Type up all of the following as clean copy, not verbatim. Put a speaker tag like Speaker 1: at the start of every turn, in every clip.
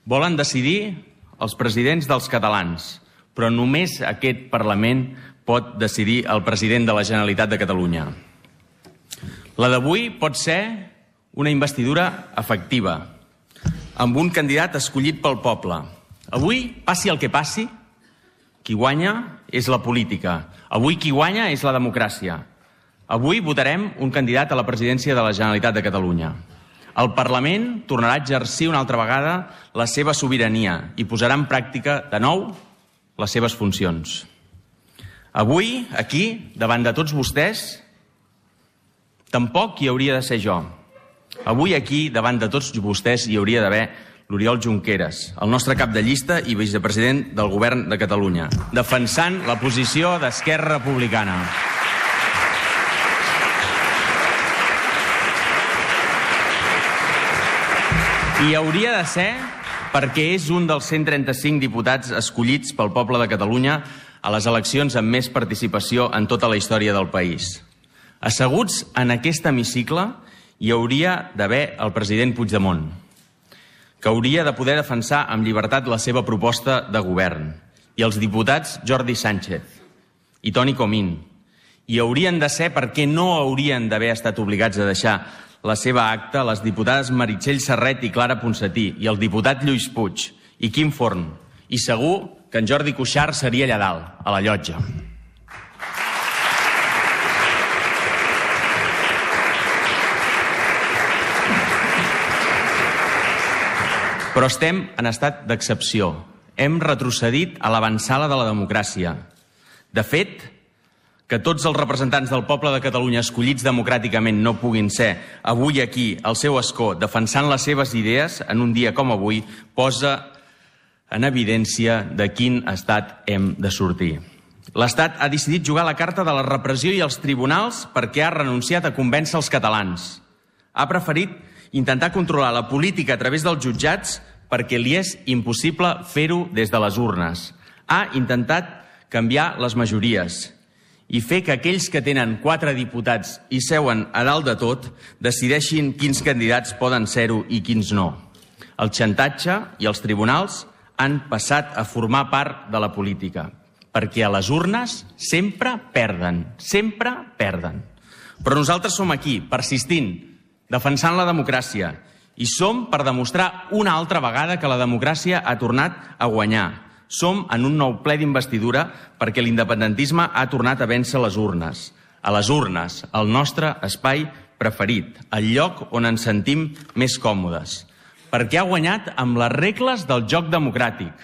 Speaker 1: Volen decidir els presidents dels catalans, però només aquest Parlament pot decidir el president de la Generalitat de Catalunya. La d'avui pot ser una investidura efectiva, amb un candidat escollit pel poble. Avui, passi el que passi, qui guanya és la política. Avui qui guanya és la democràcia. Avui votarem un candidat a la presidència de la Generalitat de Catalunya. El Parlament tornarà a exercir una altra vegada la seva sobirania i posarà en pràctica de nou les seves funcions. Avui, aquí, davant de tots vostès, tampoc hi hauria de ser jo. Avui aquí, davant de tots vostès, hi hauria d'haver l'Oriol Junqueras, el nostre cap de llista i vicepresident del Govern de Catalunya, defensant la posició d'Esquerra Republicana. I hauria de ser perquè és un dels 135 diputats escollits pel poble de Catalunya a les eleccions amb més participació en tota la història del país. Asseguts en aquest hemicicle hi hauria d'haver el president Puigdemont, que hauria de poder defensar amb llibertat la seva proposta de govern, i els diputats Jordi Sánchez i Toni Comín. I haurien de ser perquè no haurien d'haver estat obligats a deixar la seva acta les diputades Meritxell Serret i Clara Ponsatí, i el diputat Lluís Puig i Quim Forn. I segur que en Jordi Cuixart seria allà dalt, a la llotja. Però estem en estat d'excepció. Hem retrocedit a l'avantsala de la democràcia. De fet, que tots els representants del poble de Catalunya escollits democràticament no puguin ser avui aquí, al seu escó, defensant les seves idees en un dia com avui, posa en evidència de quin estat hem de sortir. L'Estat ha decidit jugar la carta de la repressió i els tribunals perquè ha renunciat a convèncer els catalans. Ha preferit intentar controlar la política a través dels jutjats perquè li és impossible fer-ho des de les urnes. Ha intentat canviar les majories i fer que aquells que tenen 4 diputats i seuen a dalt de tot decideixin quins candidats poden ser-ho i quins no. El xantatge i els tribunals han passat a formar part de la política, perquè a les urnes sempre perden, sempre perden. Però nosaltres som aquí, persistint, defensant la democràcia, i som per demostrar una altra vegada que la democràcia ha tornat a guanyar. Som en un nou ple d'investidura perquè l'independentisme ha tornat a vèncer les urnes. A les urnes, el nostre espai preferit, el lloc on ens sentim més còmodes. Perquè ha guanyat amb les regles del joc democràtic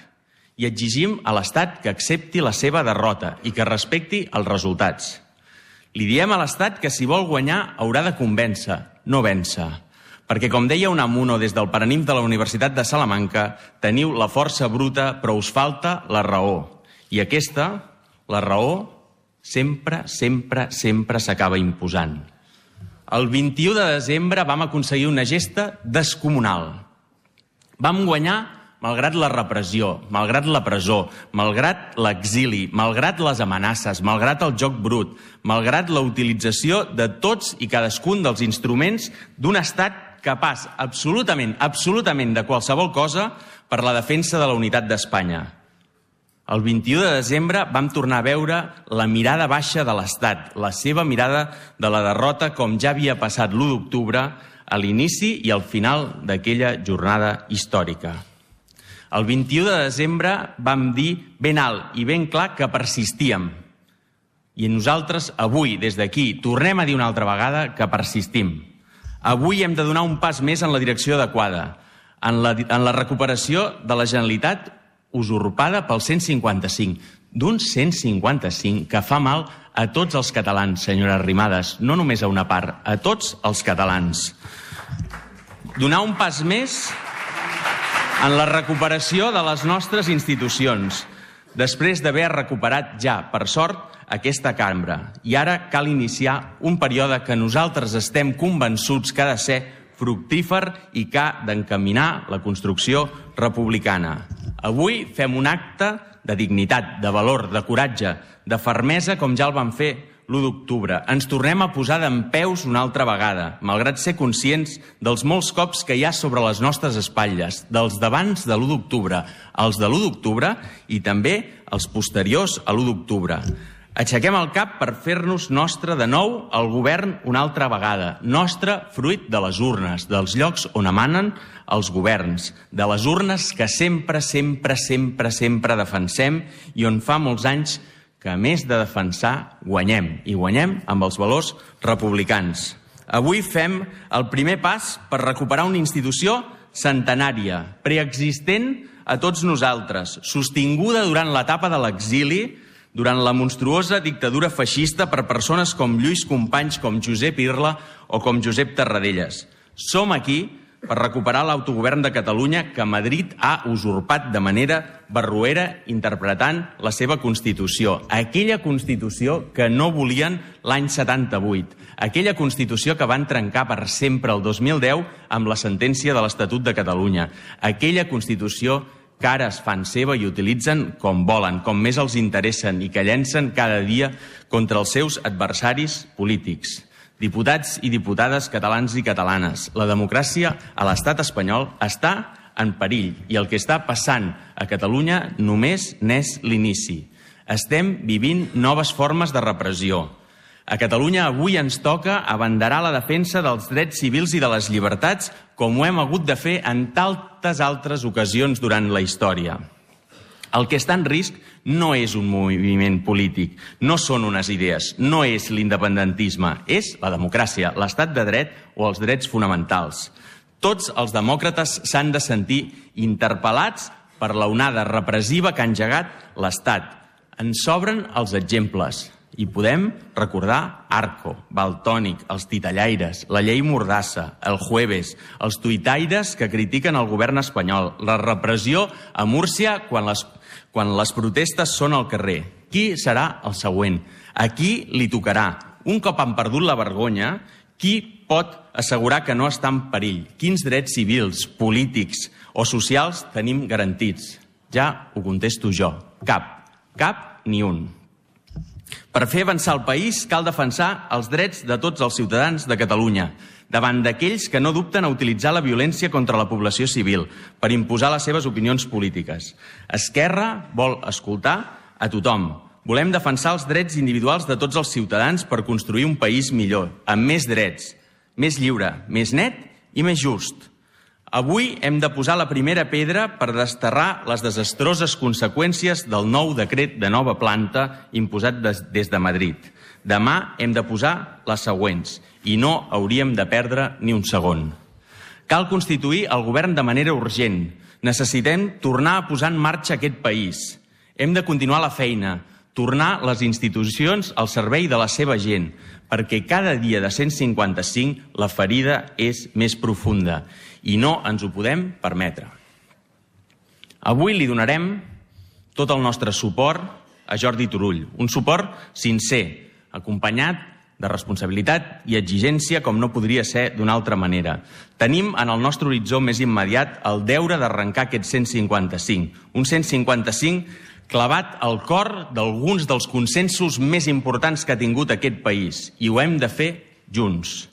Speaker 1: i exigim a l'Estat que accepti la seva derrota i que respecti els resultats. Li diem a l'Estat que si vol guanyar haurà de convèncer, no vèncer. Perquè, com deia Unamuno des del Paranimf de la Universitat de Salamanca, teniu la força bruta, però us falta la raó. I aquesta, la raó, sempre s'acaba imposant. El 21 de desembre vam aconseguir una gesta descomunal. Vam guanyar malgrat la repressió, malgrat la presó, malgrat l'exili, malgrat les amenaces, malgrat el joc brut, malgrat la utilització de tots i cadascun dels instruments d'un estat capaç absolutament de qualsevol cosa per la defensa de la unitat d'Espanya. El 21 de desembre vam tornar a veure la mirada baixa de l'Estat, la seva mirada de la derrota, com ja havia passat l'1 d'octubre, a l'inici i al final d'aquella jornada històrica. El 21 de desembre vam dir ben alt i ben clar que persistíem. I nosaltres avui, des d'aquí, tornem a dir una altra vegada que persistim. Avui hem de donar un pas més en la direcció adequada, en la recuperació de la Generalitat usurpada pel 155, d'un 155 que fa mal a tots els catalans, senyora Arrimadas, no només a una part, a tots els catalans. Donar un pas més en la recuperació de les nostres institucions, després d'haver recuperat ja, per sort, aquesta cambra. I ara cal iniciar un període que nosaltres estem convençuts que ha de ser fructífer i que ha d'encaminar la construcció republicana. Avui fem un acte de dignitat, de valor, de coratge, de fermesa, com ja el vam fer l'1 d'octubre. Ens tornem a posar dempeus una altra vegada, malgrat ser conscients dels molts cops que hi ha sobre les nostres espatlles, dels d'abans de l'1 d'octubre, els de l'1 d'octubre i també els posteriors a l'1 d'octubre. Aixequem el cap per fer-nos nostre de nou el govern una altra vegada, nostre fruit de les urnes, dels llocs on emanen els governs, de les urnes que sempre defensem i on fa molts anys que a més de defensar guanyem, i guanyem amb els valors republicans. Avui fem el primer pas per recuperar una institució centenària, preexistent a tots nosaltres, sostinguda durant l'etapa de l'exili, durant la monstruosa dictadura feixista per persones com Lluís Companys, com Josep Irla o com Josep Tarradellas. Som aquí per recuperar l'autogovern de Catalunya que Madrid ha usurpat de manera barroera interpretant la seva Constitució. Aquella Constitució que no volien l'any 78. Aquella Constitució que van trencar per sempre el 2010 amb la sentència de l'Estatut de Catalunya. Aquella Constitució que ara es fan seva i utilitzen com volen, com més els interessen i que llencen cada dia contra els seus adversaris polítics. Diputats i diputades catalans i catalanes, la democràcia a l'estat espanyol està en perill i el que està passant a Catalunya només n'és l'inici. Estem vivint noves formes de repressió. A Catalunya avui ens toca abanderar la defensa dels drets civils i de les llibertats com ho hem hagut de fer en tantes altres ocasions durant la història. El que està en risc no és un moviment polític, no són unes idees, no és l'independentisme, és la democràcia, l'estat de dret o els drets fonamentals. Tots els demòcrates s'han de sentir interpel·lats per l'onada repressiva que ha engegat l'Estat. Ens sobren els exemples. I podem recordar Arco, Valtònyc, els titellaires, la llei Mordassa, el Jueves, els tuitaires que critiquen el govern espanyol, la repressió a Múrcia quan les protestes són al carrer. Qui serà el següent? A qui li tocarà? Un cop han perdut la vergonya, qui pot assegurar que no està en perill? Quins drets civils, polítics o socials tenim garantits? Ja ho contesto jo. Cap ni un. Per fer avançar el país cal defensar els drets de tots els ciutadans de Catalunya, davant d'aquells que no dubten a utilitzar la violència contra la població civil per imposar les seves opinions polítiques. Esquerra vol escoltar a tothom. Volem defensar els drets individuals de tots els ciutadans per construir un país millor, amb més drets, més lliure, més net i més just. Avui hem de posar la primera pedra per desterrar les desastroses conseqüències del nou decret de nova planta imposat des de Madrid. Demà hem de posar les següents i no hauríem de perdre ni un segon. Cal constituir el govern de manera urgent. Necessitem tornar a posar en marxa aquest país. Hem de continuar la feina, tornar les institucions al servei de la seva gent, perquè cada dia de 155 la ferida és més profunda i no ens ho podem permetre. Avui li donarem tot el nostre suport a Jordi Turull, un suport sincer, acompanyat de responsabilitat i exigència com no podria ser d'una altra manera. Tenim en el nostre horitzó més immediat el deure d'arrencar aquest 155, un 155 clavat al cor d'alguns dels consensos més importants que ha tingut aquest país, i ho hem de fer junts.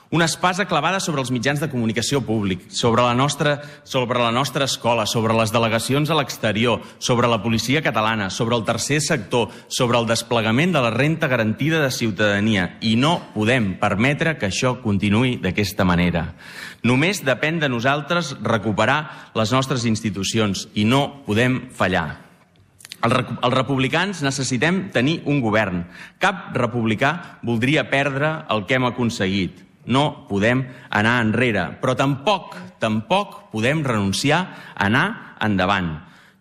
Speaker 1: Una espasa clavada sobre els mitjans de comunicació públic, sobre la nostra escola, sobre les delegacions a l'exterior, sobre la policia catalana, sobre el tercer sector, sobre el desplegament de la renda garantida de ciutadania. I no podem permetre que això continuï d'aquesta manera. Només depèn de nosaltres recuperar les nostres institucions i no podem fallar. Els republicans necessitem tenir un govern. Cap republicà voldria perdre el que hem aconseguit. No podem anar enrere, però tampoc podem renunciar a anar endavant.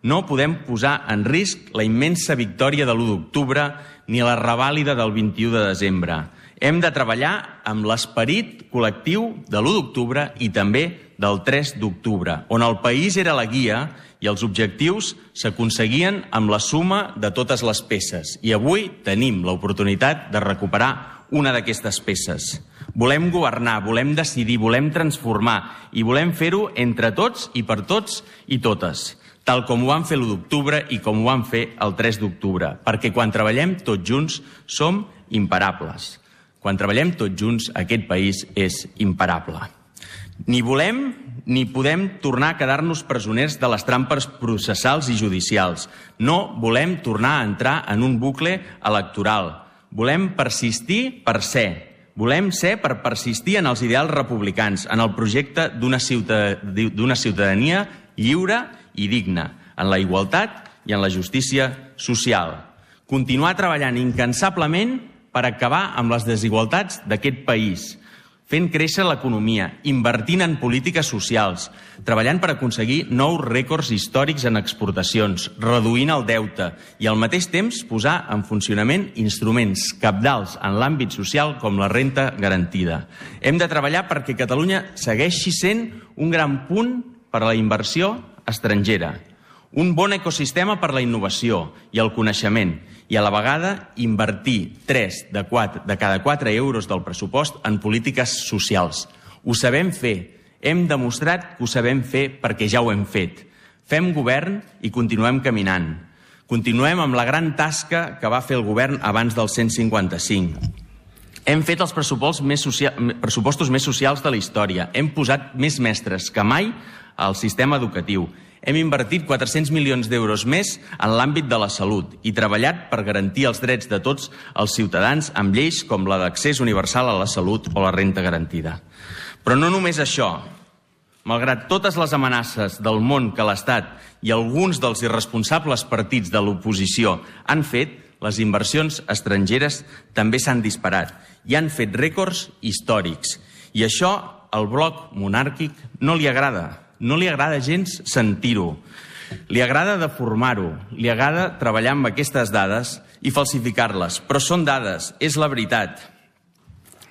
Speaker 1: No podem posar en risc la immensa victòria de l'1 d'octubre ni la revàlida del 21 de desembre. Hem de treballar amb l'esperit col·lectiu de l'1 d'octubre i també del 3 d'octubre, on el país era la guia i els objectius s'aconseguien amb la suma de totes les peces. I avui tenim l'oportunitat de recuperar una d'aquestes peces. Volem governar, volem decidir, volem transformar i volem fer-ho entre tots i per tots i totes, tal com ho van fer l'1 d'octubre i com ho van fer el 3 d'octubre, perquè quan treballem tots junts som imparables. Quan treballem tots junts, aquest país és imparable. Ni volem ni podem tornar a quedar-nos presoners de les trampes processals i judicials. No volem tornar a entrar en un bucle electoral. Volem persistir per ser. Volem ser per persistir en els ideals republicans, en el projecte d'una ciutadania lliure i digna, en la igualtat i en la justícia social. Continuar treballant incansablement per acabar amb les desigualtats d'aquest país, fent créixer l'economia, invertint en polítiques socials, treballant per aconseguir nous rècords històrics en exportacions, reduint el deute i al mateix temps posar en funcionament instruments cabdals en l'àmbit social com la renda garantida. Hem de treballar perquè Catalunya segueixi sent un gran punt per a la inversió estrangera, un bon ecosistema per a la innovació i el coneixement, i a la vegada invertir 3 de cada 4 euros del pressupost en polítiques socials. Ho sabem fer. Hem demostrat que ho sabem fer perquè ja ho hem fet. Fem govern i continuem caminant. Continuem amb la gran tasca que va fer el govern abans del 155. Hem fet els pressupostos més socials de la història. Hem posat més mestres que mai al sistema educatiu. Hem invertit 400 milions d'euros més en l'àmbit de la salut i treballat per garantir els drets de tots els ciutadans amb lleis com la d'accés universal a la salut o la renda garantida. Però no només això. Malgrat totes les amenaces del món que l'Estat i alguns dels irresponsables partits de l'oposició han fet, les inversions estrangeres també s'han disparat i han fet rècords històrics. I això al bloc monàrquic no li agrada. No li agrada gens sentir-ho. Li agrada deformar-ho. Li agrada treballar amb aquestes dades i falsificar-les. Però són dades, és la veritat.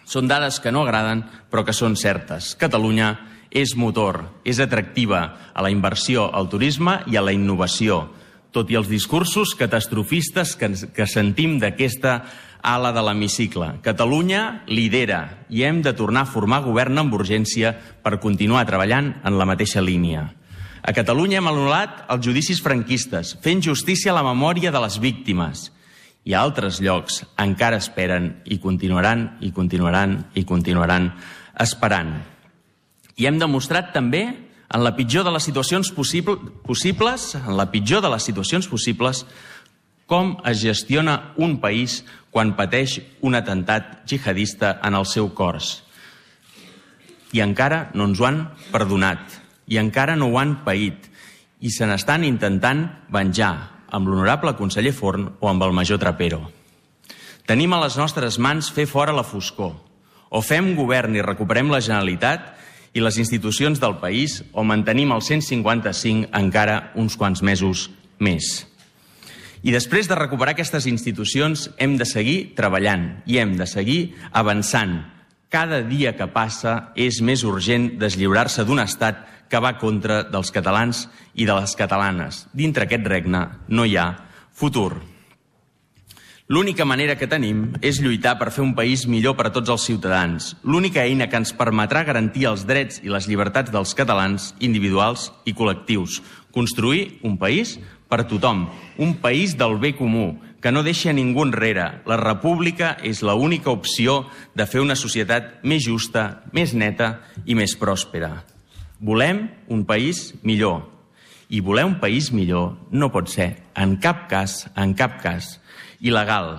Speaker 1: Són dades que no agraden, però que són certes. Catalunya és motor, és atractiva a la inversió, al turisme i a la innovació, tot i els discursos catastrofistes que sentim d'aquesta ala de l'hemicicle. Catalunya lidera i hem de tornar a formar govern amb urgència per continuar treballant en la mateixa línia. A Catalunya hem anul·lat els judicis franquistes, fent justícia a la memòria de les víctimes. I a altres llocs encara esperen i continuaran esperant. I hem demostrat també en la pitjor de les situacions possibles, com es gestiona un país quan pateix un atemptat jihadista en el seu cors. I encara no ens ho han perdonat, i encara no ho han paït, i se n'estan intentant venjar amb l'honorable conseller Forn o amb el major Trapero. Tenim a les nostres mans fer fora la foscor. O fem govern i recuperem la Generalitat i les institucions del país, o mantenim el 155 encara uns quants mesos més. I després de recuperar aquestes institucions hem de seguir treballant i hem de seguir avançant. Cada dia que passa és més urgent deslliurar-se d'un estat que va contra dels catalans i de les catalanes. Dintre aquest regne no hi ha futur. L'única manera que tenim és lluitar per fer un país millor per a tots els ciutadans. L'única eina que ens permetrà garantir els drets i les llibertats dels catalans individuals i col·lectius. Construir un país per tothom, un país del bé comú, que no deixa ningú enrere. La república és l'única opció de fer una societat més justa, més neta i més pròspera. Volem un país millor. I voler un país millor no pot ser, en cap cas, il·legal.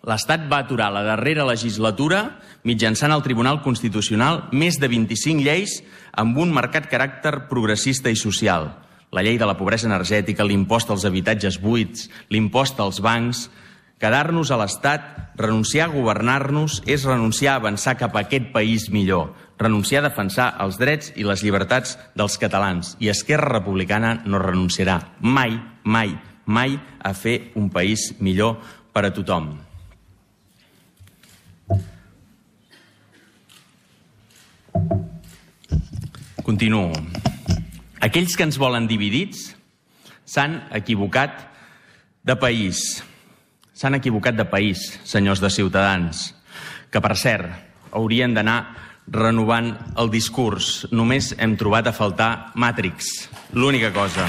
Speaker 1: L'Estat va aturar la darrera legislatura mitjançant el Tribunal Constitucional més de 25 lleis amb un marcat caràcter progressista i social. La llei de la pobresa energètica, l'impost als habitatges buits, l'impost als bancs. Quedar-nos a l'Estat, renunciar a governar-nos, és renunciar a avançar cap a aquest país millor, renunciar a defensar els drets i les llibertats dels catalans. I Esquerra Republicana no renunciarà mai, mai, mai a fer un país millor per a tothom. Continuo. Aquells que ens volen dividits s'han equivocat de país. S'han equivocat de país, senyors de Ciutadans, que, per cert, haurien d'anar renovant el discurs. Només hem trobat a faltar Matrix, l'única cosa.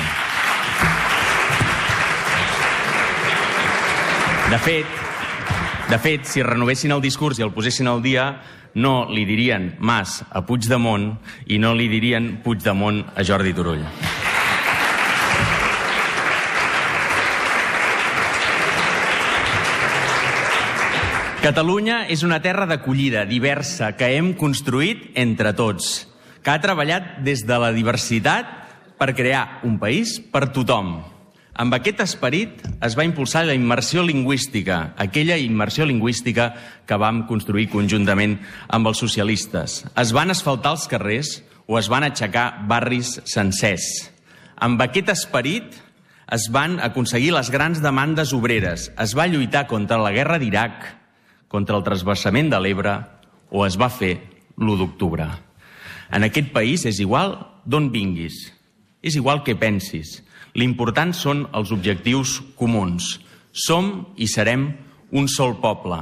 Speaker 1: De fet, si renovessin el discurs i el posessin al dia, no li dirien Mas a Puigdemont i no li dirien Puigdemont a Jordi Turull. Catalunya és una terra d'acollida diversa que hem construït entre tots, que ha treballat des de la diversitat per crear un país per tothom. Amb aquest esperit es va impulsar la immersió lingüística, aquella immersió lingüística que vam construir conjuntament amb els socialistes. Es van asfaltar els carrers o es van aixecar barris sencers. Amb aquest esperit es van aconseguir les grans demandes obreres, es va lluitar contra la guerra d'Iraq, contra el transvasament de l'Ebre o es va fer l'1 d'octubre. En aquest país és igual d'on vinguis, és igual què pensis. L'important són els objectius comuns. Som i serem un sol poble,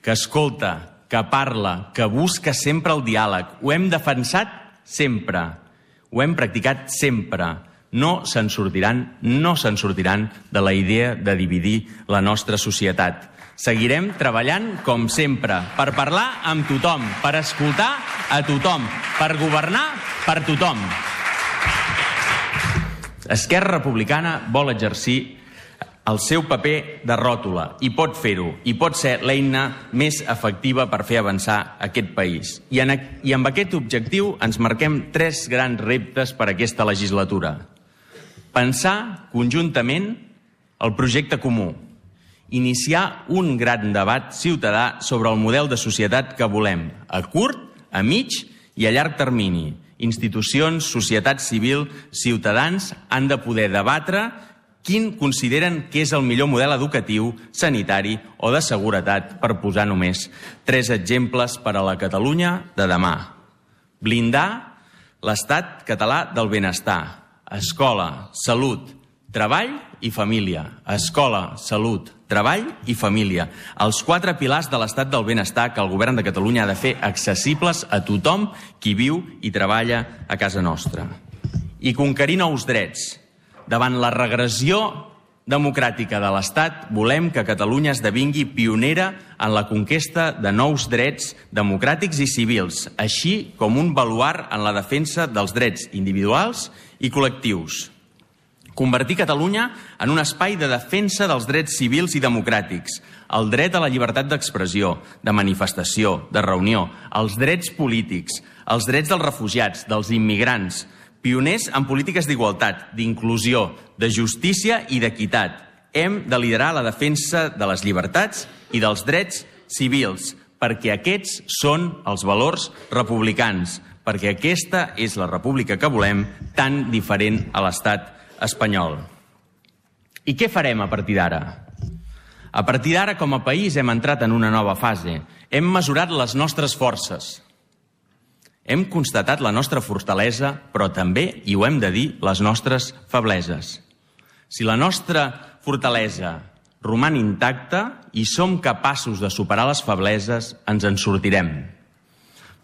Speaker 1: que escolta, que parla, que busca sempre el diàleg. Ho hem defensat sempre, ho hem practicat sempre. No se'n sortiran de la idea de dividir la nostra societat. Seguirem treballant com sempre, per parlar amb tothom, per escoltar a tothom, per governar per tothom. Esquerra Republicana vol exercir el seu paper de ròtula i pot fer-ho, i pot ser l'eina més efectiva per fer avançar aquest país. I amb aquest objectiu ens marquem 3 grans reptes per aquesta legislatura. Pensar conjuntament el projecte comú, iniciar un gran debat ciutadà sobre el model de societat que volem, a curt, a mig i a llarg termini. Institucions, societat civil, ciutadans han de poder debatre quin consideren que és el millor model educatiu, sanitari o de seguretat, per posar només 3 exemples per a la Catalunya de demà. Blindar l'estat català del benestar. Escola, salut, treball i família. Escola, salut, treball i família. Els 4 pilars de l'estat del benestar que el govern de Catalunya ha de fer accessibles a tothom qui viu i treballa a casa nostra. I conquerir nous drets. Davant la regressió democràtica de l'Estat, volem que Catalunya esdevingui pionera en la conquesta de nous drets democràtics i civils, així com un baluard en la defensa dels drets individuals i col·lectius. Convertir Catalunya en un espai de defensa dels drets civils i democràtics, el dret a la llibertat d'expressió, de manifestació, de reunió, els drets polítics, els drets dels refugiats, dels immigrants, pioners en polítiques d'igualtat, d'inclusió, de justícia i d'equitat. Hem de liderar la defensa de les llibertats i dels drets civils, perquè aquests són els valors republicans, perquè aquesta és la república que volem, tan diferent a l'estat espanyol. I què farem a partir d'ara? A partir d'ara, com a país, hem entrat en una nova fase. Hem mesurat les nostres forces. Hem constatat la nostra fortalesa, però també, i ho hem de dir, les nostres febleses. Si la nostra fortalesa roman intacta i som capaços de superar les febleses, ens en sortirem.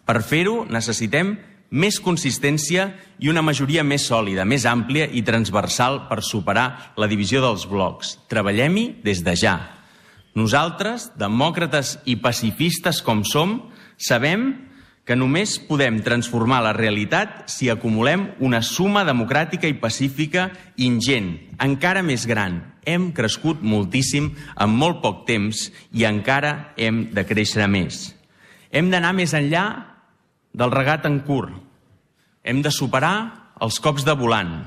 Speaker 1: Per fer-ho, necessitem més consistència i una majoria més sòlida, més àmplia i transversal per superar la divisió dels blocs. Treballem-hi des de ja. Nosaltres, demòcrates i pacifistes com som, sabem que només podem transformar la realitat si acumulem una suma democràtica i pacífica ingent, encara més gran. Hem crescut moltíssim en molt poc temps i encara hem de créixer més. Hem d'anar més enllà del regat en curt. Hem de superar els cops de volant.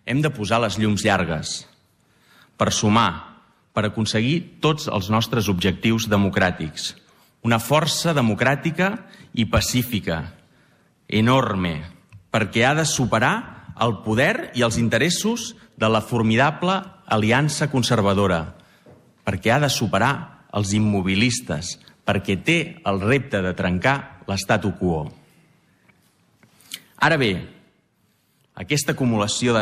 Speaker 1: Hem de posar les llums llargues per sumar, per aconseguir tots els nostres objectius democràtics. Una força democràtica i pacífica, enorme, perquè ha de superar el poder i els interessos de la formidable aliança conservadora, perquè ha de superar els immobilistes, perquè té el repte de trencar l'statu quo. Ara bé, aquesta acumulació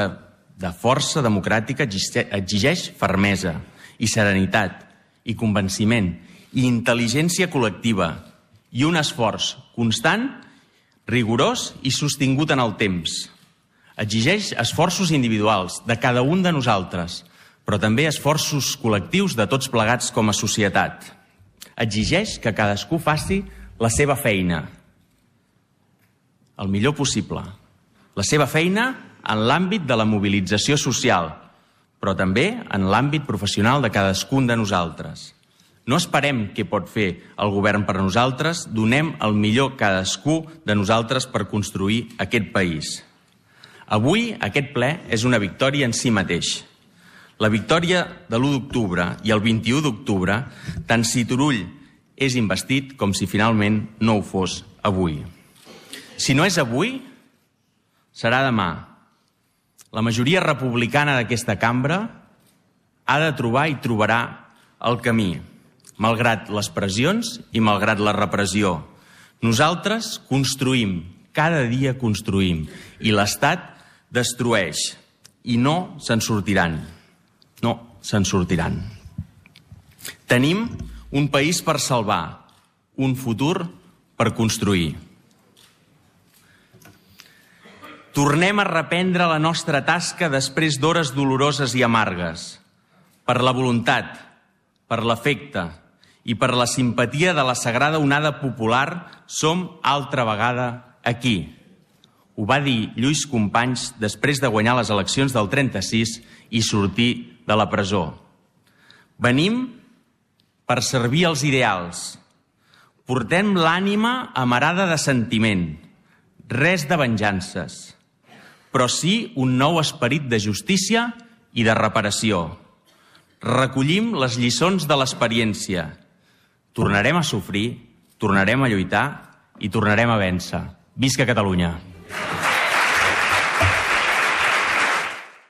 Speaker 1: de força democràtica exigeix fermesa i serenitat i convenciment i intel·ligència col·lectiva i un esforç constant, rigorós i sostingut en el temps. Exigeix esforços individuals de cada un de nosaltres, però també esforços col·lectius de tots plegats com a societat. Exigeix que cadascú faci la seva feina, el millor possible. La seva feina en l'àmbit de la mobilització social, però també en l'àmbit professional de cadascun de nosaltres. No esperem què pot fer el govern per a nosaltres, donem el millor cadascú de nosaltres per construir aquest país. Avui aquest ple és una victòria en si mateix. La victòria de l'1 d'octubre i el 21 d'octubre, tant si Turull és investit com si finalment no ho fos avui. Si no és avui, serà demà. La majoria republicana d'aquesta cambra ha de trobar i trobarà el camí, malgrat les pressions i malgrat la repressió. Nosaltres construïm, cada dia construïm, i l'Estat destrueix, i no se'n sortiran. No se'n sortiran. Tenim un país per salvar, un futur per construir. Tornem a reprendre la nostra tasca després d'hores doloroses i amargues. Per la voluntat, per l'afecte i per la simpatia de la sagrada onada popular som altra vegada aquí. Ho va dir Lluís Companys després de guanyar les eleccions del 36 i sortir de la presó. Venim per servir els ideals. Portem l'ànima amarada de sentiment, res de venjances, però sí un nou esperit de justícia i de reparació. Recollim les lliçons de l'experiència. Tornarem a sofrir, tornarem a lluitar i tornarem a vèncer. Visca Catalunya!